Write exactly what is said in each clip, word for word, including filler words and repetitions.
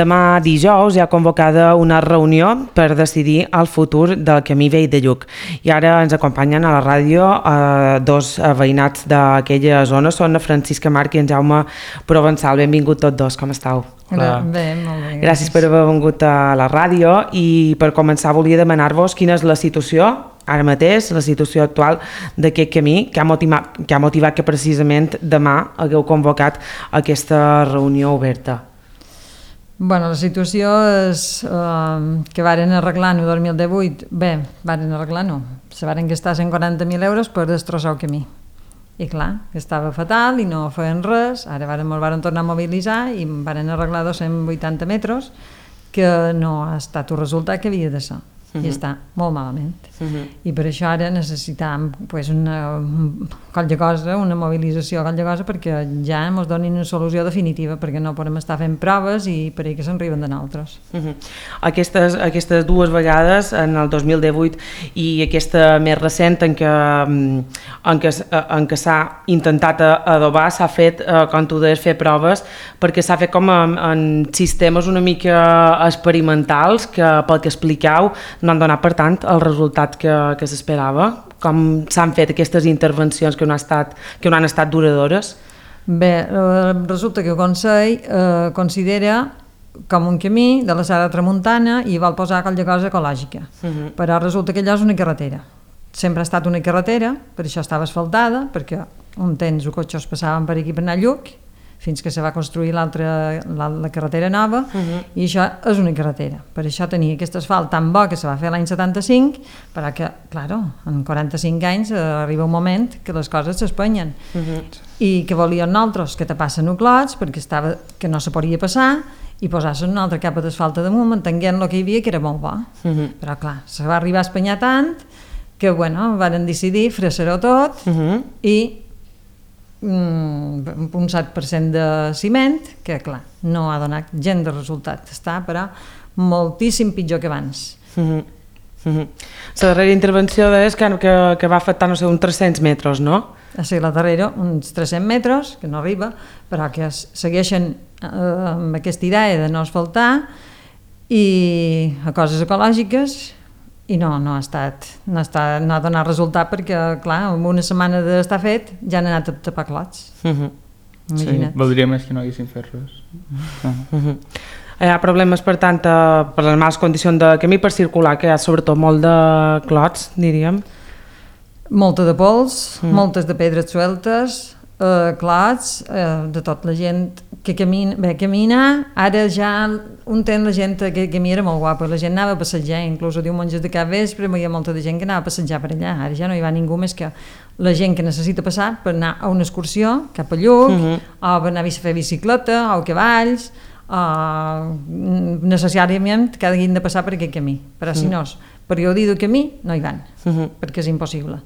Demà dijous hi ha convocada una reunió per decidir el futur del camí vell de Lluc. I ara ens acompanyen a la ràdio eh, dos veïnats d'aquella zona, són Francisca Marc i en Jaume Provençal. Benvingut tots dos, com estàu? Hola. Bé, molt bé. Gràcies. Gràcies per haver vingut a la ràdio i per començar volia demanar-vos quina és la situació ara mateix, la situació actual d'aquest camí que ha, motivat, que ha motivat que precisament demà hagueu convocat aquesta reunió oberta. Bueno, la situació és eh, que varen arreglar-ho el dos mil divuit. Bé, varen arreglar-ho. Se varen gastar cent quaranta mil euros per destrossar el camí. I clar, estava fatal i no feien res. Ara varen, ens varen tornar a mobilitzar i varen arreglar dos-cents vuitanta metres, que no ha estat el resultat que havia de ser. Uh-huh. I està molt malament. Uh-huh. I per això ara necessitam pues, una qualque cosa, una mobilització, qualque cosa, perquè ja ens donin una solució definitiva, perquè no podem estar fent proves i per ahí que se'n riben de nosaltres. Uh-huh. aquestes, aquestes dues vegades, en el dos mil divuit i aquesta més recent en què, en què, en què s'ha intentat adobar, s'ha fet, eh, com tu deies, fer proves, perquè s'ha fet com en, en sistemes una mica experimentals que, pel que expliqueu, no han donat, per tant, el resultat que, que s'esperava. Com s'han fet aquestes intervencions que no, ha estat, que no han estat duradores? Bé, eh, resulta que el Consell eh, considera com un camí de la Serra Tramuntana i vol posar qualque cosa ecològica. Uh-huh. Però resulta que allò és una carretera. Sempre ha estat una carretera, per això estava asfaltada, perquè un temps els cotxes passaven per aquí per anar a Lluc, fins que se va construir l'altra, la, la carretera nova, uh-huh. I això és una carretera. Per això tenia aquest asfalt tan bo que se va fer l'any setanta-cinc, però que, claro, en quaranta-cinc anys eh, arriba un moment que les coses s'espenyen. Uh-huh. I que volien nosaltres que tapassen els clots, perquè estava, que no se podia passar, i posar-se una altra capa d'asfalt damunt, entenguent el que hi havia, que era molt bo. Uh-huh. Però, clar, se va arribar a espanyar tant que, bueno, van decidir fregar-ho tot, uh-huh. I un set per cent de ciment, que clar, no ha donat gent de resultat, està però moltíssim pitjor que abans. Uh-huh. Uh-huh. La darrera intervenció és que, que, que va afectar, no sé, uns tres-cents metres, no? Sí, la darrera, uns tres-cents metres, que no arriba, però que segueixen eh, amb aquesta idea de no asfaltar i a coses ecològiques. I no, no ha estat, no ha, estat, no ha donat resultat perquè, clar, en una setmana d'estar fet ja han anat a tapar clots. Uh-huh. Sí, voldria més que no haguessin fet res. Uh-huh. Uh-huh. Hi ha problemes, per tant, per les males condicions de camí per circular, que hi ha sobretot molt de clots, diríem. Molta de pols, uh-huh. Moltes de pedres sueltes, eh, clots, eh, de tot la gent que camina, bé, camina, ara ja un temps la gent que camina era molt guapa, la gent anava a passejar, inclús a diumenges de cap vespre hi havia molta de gent que anava a passejar per allà, ara ja no hi va ningú més que la gent que necessita passar per anar a una excursió cap a Lluc, uh-huh. O per anar a fer bicicleta, o cavalls, o necessàriament que hagin de passar per aquest camí, però uh-huh. Si no és periodi de camí, no hi van, uh-huh. Perquè és impossible.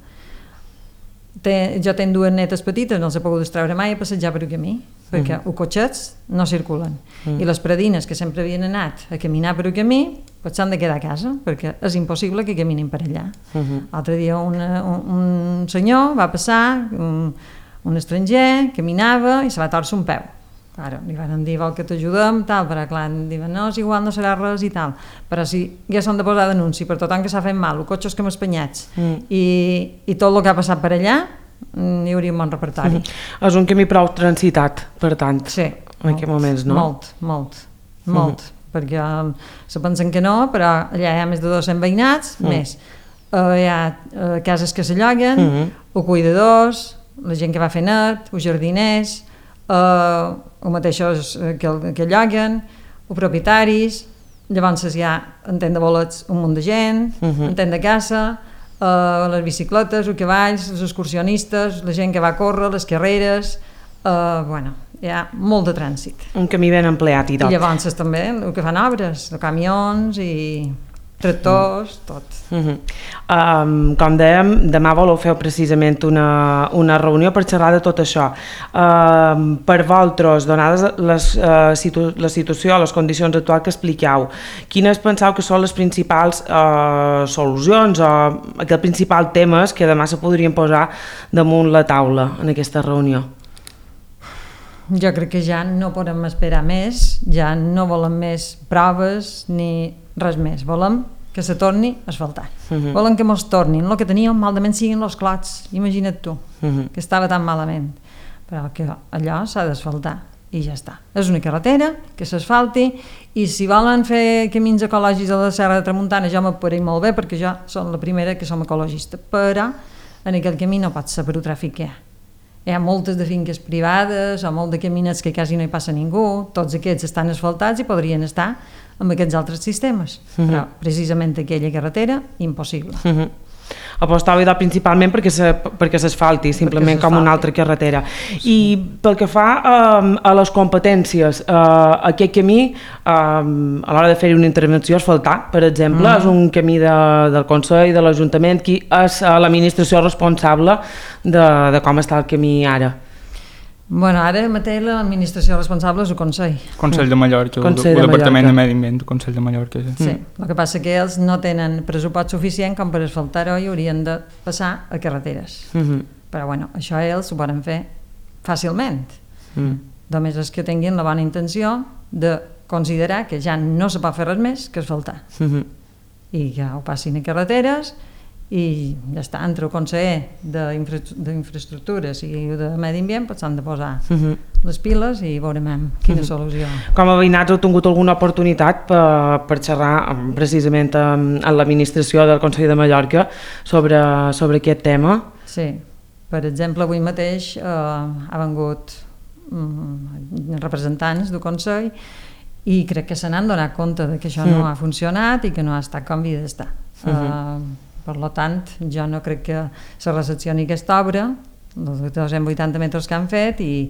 Té, jo tenc dues netes petites, no els he pogut treure mai a passejar per el camí, perquè uh-huh. Els cotxets no circulen. Uh-huh. I les predines que sempre havien anat a caminar per el camí, pues s'han de quedar a casa, perquè és impossible que caminin per allà. Uh-huh. L'altre dia una, un, un senyor va passar, un, un estranger, caminava i se va torcer un peu. Claro, li van dir, vol que t'ajudem, tal, però clar, diuen, no, és igual, no serà res i tal. Però si ja s'han de posar denunci per tothom que s'ha fet mal, els cotxes que hem espanyats, mm. i, i tot el que ha passat per allà, hi hauria un bon repertori. Mm. És un camí prou transitat, per tant, sí, en aquests moments, no? Molt, molt, molt, mm. perquè se pensen que no, però allà hi ha més de dos-cents veïnats, mm. més. Uh, hi ha uh, cases que s'alloguen, mm. Els cuidadors, la gent que va fer net, els jardiners, Uh, els mateixos que, que lloguen, els propietaris, llavors hi ha en tent de bolets un munt de gent, uh-huh. En tent de caça, uh, les bicicletes, els cavalls, els excursionistes, la gent que va a córrer, les carreres, uh, bueno, hi ha molt de trànsit. Un camí ben empleat i tot. I llavors també el que fan obres, de camions i tractors, mm. tot. Uh-huh. Um, com dèiem, demà voleu fer precisament una, una reunió per xerrar de tot això. Um, per vosaltres, donades les, uh, situ la situació, les condicions actuals que expliqueu, quines penseu que són les principals uh, solucions o aquests principals temes que demà se podrien posar damunt la taula en aquesta reunió? jo crec que ja no podem esperar més, ja no volem més proves ni res més, volem que se torni a asfaltar. Uh -huh. Volen que mos tornin, el que teníem malament siguin els clots, imagina't tu, uh -huh. que estava tan malament, però que allò s'ha d'asfaltar i ja està. És una carretera que s'asfalti i si volen fer camins ecològics a la Serra de Tramuntana jo m'apareix molt bé perquè jo som la primera que som ecologista, però en aquell camí no pot ser per tràfic que hi ha. Hi ha moltes de finques privades o molt de caminets que quasi no hi passa ningú, tots aquests estan asfaltats i podrien estar amb aquests altres sistemes, uh -huh. però precisament aquella carretera, impossible. Uh -huh. Apostava idò principalment perquè se, perquè s'asfalti, simplement com una altra carretera. Sí. I pel que fa um, a les competències, uh, aquest camí, um, a l'hora de fer una intervenció, asfaltar, per exemple, mm. és un camí de, del Consell, de l'Ajuntament, qui és uh, l'administració responsable de, de com està el camí ara. Bueno, ara mateix l'administració responsable és el Consell. Consell de Mallorca, Consell el, de el Departament Mallorca. de Medi Ambient, el Consell de Mallorca. Sí, sí. Mm. El que passa que ells no tenen pressupost suficient com per asfaltar-ho i haurien de passar a carreteres. Mm -hmm. Però bueno, això ells ho poden fer fàcilment. Mm. Només és que tinguin la bona intenció de considerar que ja no se pot fer res més que asfaltar. Mm -hmm. I que ho passin a carreteres i ja està, entre el conseller d'infraestructures i de Medi Ambient pues, s'han de posar uh -huh. les piles i veurem quina uh -huh. solució. Com a veïnats heu tingut alguna oportunitat per, per xerrar precisament amb, amb l'administració del Consell de Mallorca sobre, sobre aquest tema? Sí, per exemple avui mateix eh, ha vengut mm, representants del Consell i crec que se n'han donat compte de que això uh -huh. no ha funcionat i que no ha estat com havia d'estar. Uh -huh. uh, Per tant, jo no crec que se recepcioni aquesta obra, els dos-cents vuitanta metres que han fet, i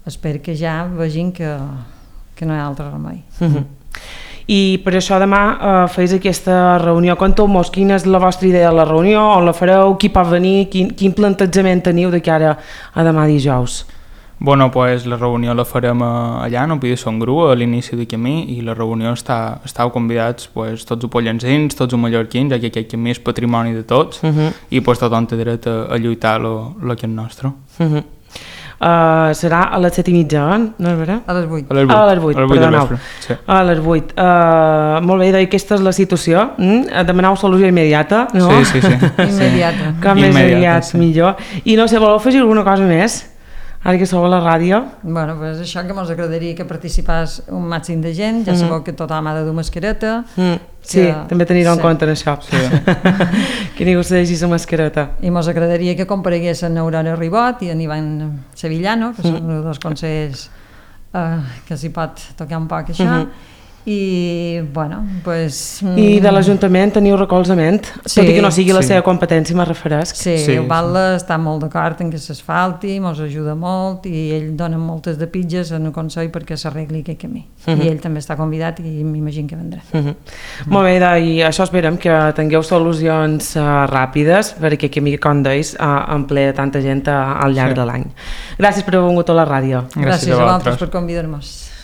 espero que ja vegin que, que no hi ha altre remei. Uh-huh. I per això demà eh, feis aquesta reunió. Conteu-mos quina és la vostra idea de la reunió, on la fareu, qui pot venir, quin, quin plantejament teniu de cara a demà dijous? Bueno, pues la reunió la farem allà, no Pi de Son Gru, a l'inici de camí, i la reunió està, estàu convidats pues, tots els pollensins, tots els mallorquins, ja que aquest camí és patrimoni de tots, uh -huh. i pues, tothom té dret a, a lluitar lo, lo que és nostre. Uh -huh. Uh, serà a les set i mitja, eh? No és vera? A les vuit. A les vuit, a les vuit, a les vuit perdoneu. Sí. A les vuit. Uh, molt bé, doncs aquesta és la situació. Mm? Demaneu solució immediata, no? Sí, sí, sí. Immediata. Com més aviat, sí. millor. I no sé, voleu afegir alguna cosa més? Ara que sou a la ràdio. Bueno, pues això que ens agradaria que participés un màxim de gent, ja mm. sabeu que tothom ha de dur mascareta. Mm. Sí, que... també tenir-ho sí. en compte en això. Sí. Que ningú se deixi la mascareta. I ens agradaria que compareguessin Aurora Ribot i en Ivan Sevillano, que mm. són els dos consellers eh, que s'hi pot tocar un poc això. Mm-hmm. I, bueno, pues... I de l'Ajuntament teniu recolzament, sí, tot i que no sigui la sí. seva competència, me'n referesc. Sí, sí, el Batlle sí. està molt d'acord en que s'asfalti, ens ajuda molt i ell dona moltes de pitges en el Consell perquè s'arregli aquest camí. Uh -huh. I ell també està convidat i m'imagino que vendrà. Uh -huh. Uh -huh. Molt bé, i això esperem que tingueu solucions uh, ràpides per aquest camí, com deis, uh, en ple de tanta gent uh, al llarg sí. de l'any. Gràcies per haver vingut a la ràdio. Gràcies, Gràcies a vosaltres per convidar-nos.